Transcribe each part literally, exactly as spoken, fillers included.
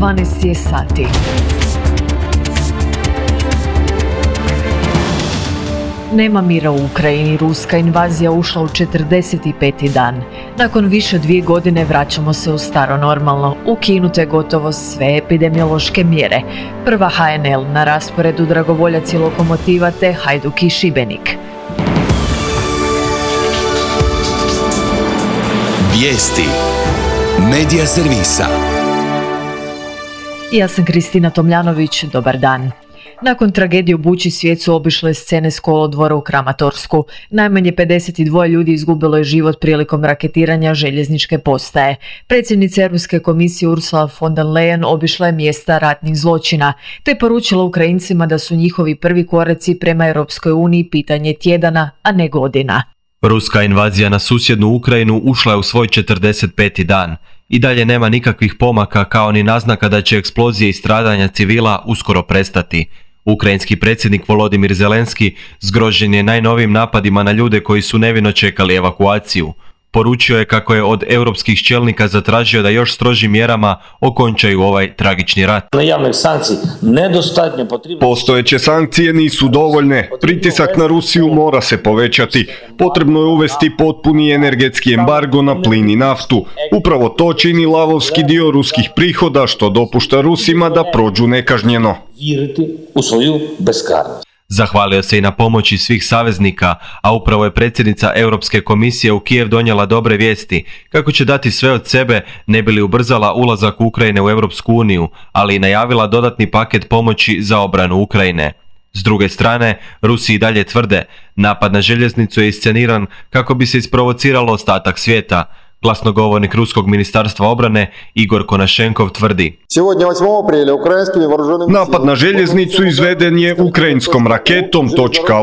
dvanaest je sati. Nema mira u Ukrajini, ruska invazija ušla u četrdeset peti dan. Nakon više dvije godine vraćamo se u staro normalno, ukinute gotovo sve epidemiološke mjere. Prva ha en el na rasporedu dragovoljaci Lokomotiva te Hajduk i Šibenik. Vijesti Medija servisa. Ja sam Kristina Tomljanović, dobar dan. Nakon tragedije u Buči svijet su obišle scene s kolodvora u Kramatorsku. Najmanje pedeset dva ljudi izgubilo je život prilikom raketiranja željezničke postaje. Predsjednica Europske komisije Ursula von der Leyen obišla je mjesta ratnih zločina, te poručila Ukrajincima da su njihovi prvi koraci prema Europskoj uniji pitanje tjedana, a ne godina. Ruska invazija na susjednu Ukrajinu ušla je u svoj četrdeset peti dan. I dalje nema nikakvih pomaka kao ni naznaka da će eksplozije i stradanja civila uskoro prestati. Ukrajinski predsjednik Volodimir Zelenski zgrožen je najnovijim napadima na ljude koji su nevino čekali evakuaciju. Poručio je kako je od europskih čelnika zatražio da još strožim mjerama okončaju ovaj tragični rat. Postojeće sankcije nisu dovoljne. Pritisak na Rusiju mora se povećati. Potrebno je uvesti potpuni energetski embargo na plin i naftu. Upravo to čini lavovski dio ruskih prihoda što dopušta Rusima da prođu nekažnjeno. Zahvalio se i na pomoći svih saveznika, a upravo je predsjednica Europske komisije u Kijev donijela dobre vijesti kako će dati sve od sebe ne bi li ubrzala ulazak Ukrajine u Europsku uniju, ali i najavila dodatni paket pomoći za obranu Ukrajine. S druge strane, Rusi i dalje tvrde, napad na željeznicu je isceniran kako bi se isprovociralo ostatak svijeta. Glasnogovornik Ruskog ministarstva obrane Igor Konašenkov tvrdi: Napad na željeznicu izveden je ukrajinskom raketom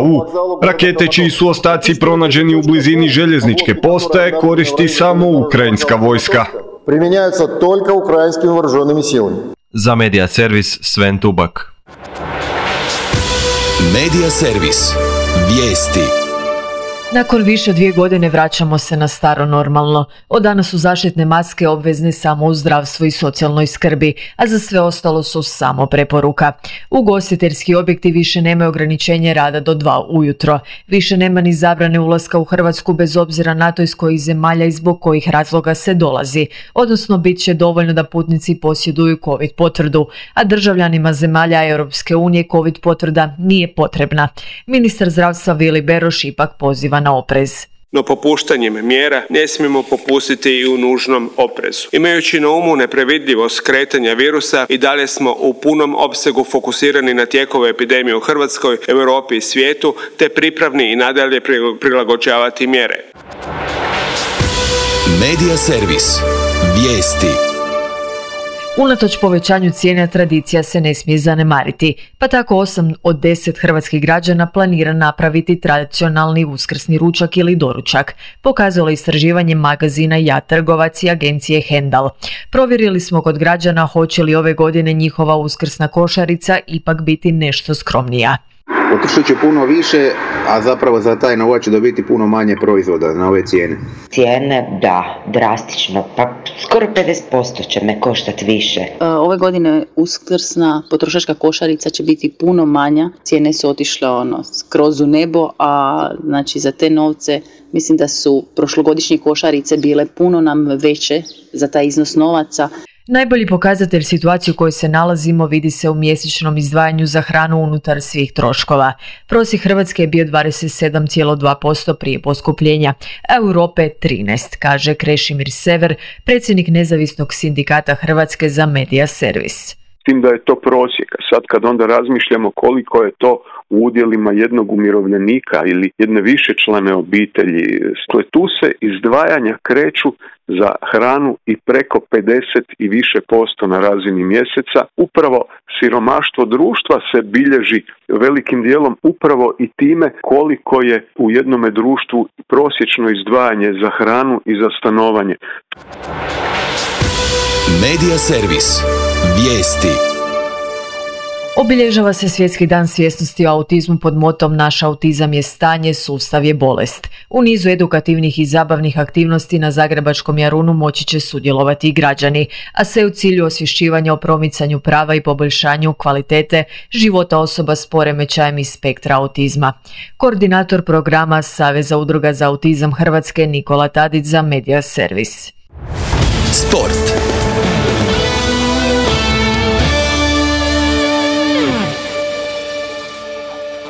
.U. Rakete čiji su ostaci pronađeni u blizini željezničke postaje koristi samo ukrajinska vojska. Za Medija servis Sven Tubak. Medija servis. Vijesti. Nakon više dvije godine vraćamo se na staro normalno. Od danas su zaštitne maske obvezne samo u zdravstvu i socijalnoj skrbi, a za sve ostalo su samo preporuka. Ugostiteljski objekti više nemaju ograničenje rada do dva ujutro. Više nema ni zabrane ulaska u Hrvatsku bez obzira na to iz kojih zemalja i zbog kojih razloga se dolazi. Odnosno, bit će dovoljno da putnici posjeduju COVID potvrdu, a državljanima zemalja Europske unije COVID potvrda nije potrebna. Ministar zdravstva Vili Beroš ipak poziva na oprez. No popuštanjem mjera ne smijemo popustiti i u nužnom oprezu. Imajući na umu neprevidljivost kretanja virusa i dalje smo u punom opsegu fokusirani na tijekove epidemije u Hrvatskoj, Europi i svijetu, te pripravni i nadalje prilagođavati mjere. Medija servis. Vijesti. Unatoč povećanju cijena tradicija se ne smije zanemariti, pa tako osam od deset hrvatskih građana planira napraviti tradicionalni uskrsni ručak ili doručak, pokazalo istraživanje magazina Ja trgovac i agencije Hendal. Provjerili smo kod građana hoće li ove godine njihova uskrsna košarica ipak biti nešto skromnija. Potrošit će puno više, a zapravo za taj novac će dobiti puno manje proizvoda na ove cijene. Cijene, da, drastično, pa skoro pedeset posto će me koštati više. Ove godine uskrsna potrošačka košarica će biti puno manja, cijene su otišle ono, skroz u nebo, a znači za te novce mislim da su prošlogodišnje košarice bile puno nam veće za taj iznos novaca. Najbolji pokazatelj situacije u kojoj se nalazimo vidi se u mjesečnom izdvajanju za hranu unutar svih troškova. Prosjek Hrvatske je bio dvadeset sedam zarez dva posto prije poskupljenja, a Europe trinaest, kaže Krešimir Sever, predsjednik nezavisnog sindikata Hrvatske za Medija servis. Tim da je to prosjek, a sad kad onda razmišljamo koliko je to u udjelima jednog umirovljenika ili jedne višečlane obitelji, tu se izdvajanja kreću za hranu i preko pedeset i više posto na razini mjeseca. Upravo siromaštvo društva se bilježi velikim dijelom upravo i time koliko je u jednome društvu prosječno izdvajanje za hranu i za stanovanje. Medija servis. Vijesti. Obilježava se Svjetski dan svjesnosti o autizmu pod motom Naš autizam je stanje, sustav je bolest. U nizu edukativnih i zabavnih aktivnosti na Zagrebačkom Jarunu moći će sudjelovati i građani, a sve u cilju osvješćivanja o promicanju prava i poboljšanju kvalitete života osoba s poremećajem iz spektra autizma. Koordinator programa Saveza udruga za autizam Hrvatske Nikola Tadić za Media Servis. Sport.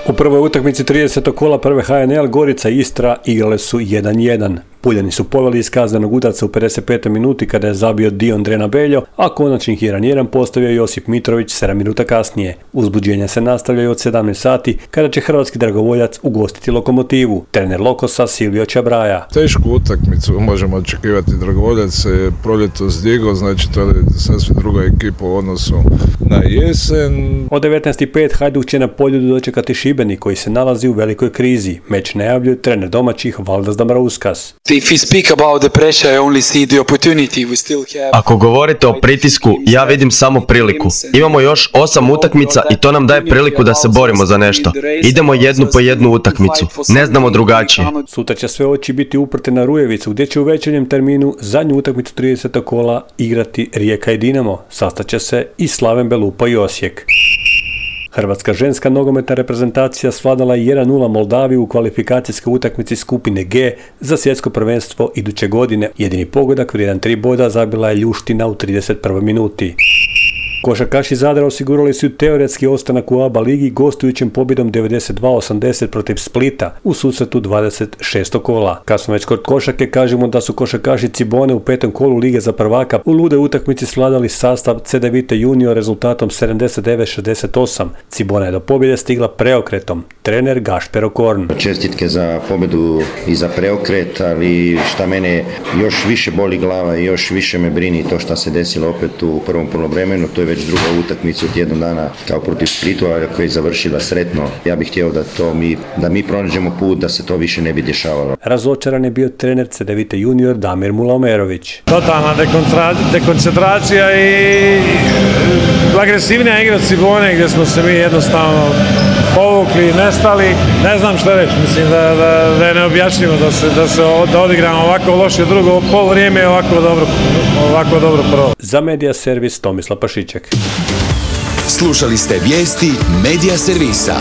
U prvoj utakmici tridesetog kola prve H N L Gorica i Istra igrale su jedan jedan. Puljani su poveli iz kaznenog udarca u pedeset petoj minuti kada je zabio Dion Drenabeljo, a konačnih jedan jedan postavio Josip Mitrović sedam minuta kasnije. Uzbuđenja se nastavljaju od sedamnaest sati kada će hrvatski dragovoljac ugostiti Lokomotivu. Trener Lokosa Silvio Čabraja. Tešku utakmicu možemo očekivati. Dragovoljac se proljetos digao, znači to je sasvim druga ekipa u odnosu na jesen. Od devetnaest i pet Hajduk će na Poljudu dočekati Šibenik koji se nalazi u velikoj krizi. Meč najavljuje trener domaćih Valdas Dambrauskas. Ako govorite o pritisku, ja vidim samo priliku. Imamo još osam utakmica i to nam daje priliku da se borimo za nešto. Idemo jednu po jednu utakmicu. Ne znamo drugačije. Sutra će sve oči biti uprte na Rujevicu gdje će u večernjem terminu zadnju utakmicu tridesetog kola igrati Rijeka i Dinamo. Sastaće se i Slaven Belupa i Osijek. Hrvatska ženska nogometna reprezentacija svladala je jedan nula Moldaviju u kvalifikacijskoj utakmici skupine G za svjetsko prvenstvo iduće godine. Jedini pogodak vrijedan tri boda zabila je Ljuština u trideset prvoj minuti. Košarkaši Zadra osigurali su teoretski ostanak u A B A ligi gostujućim pobjedom devedeset dva osamdeset protiv Splita u susretu dvadeset šestog kola. Kad smo već kod košarke, kažemo da su košarkaši Cibone u petom kolu Lige za prvaka u lude utakmici svladali sastav C D Vita Junior rezultatom sedamdeset devet šezdeset osam. Cibona je do pobjede stigla preokretom. Trener Gašper Okorn. Čestitke za pobjedu i za preokret, ali šta mene još više boli glava i još više me brini to što se desilo opet u prvom poluvremenu. To je već druga utakmica od jednog dana kao protiv Splitu, koja je završila sretno. Ja bih htio da to mi, da mi pronađemo put da se to više ne bi dešavalo. Razočaran je bio trener C D Vita Junior Damir Mulaomerović. Totalna dekoncentracija i agresivnija igra Cibone gdje smo se mi jednostavno povukli, nestali. Ne znam što reći, mislim da, da, da je neobjašnjivo da se, da se da odigramo ovako loše drugo poluvrijeme i ovako dobro, ovako dobro prvo. Za Media Servis Tomislav Pašiček. Slušali ste vijesti Media Servisa.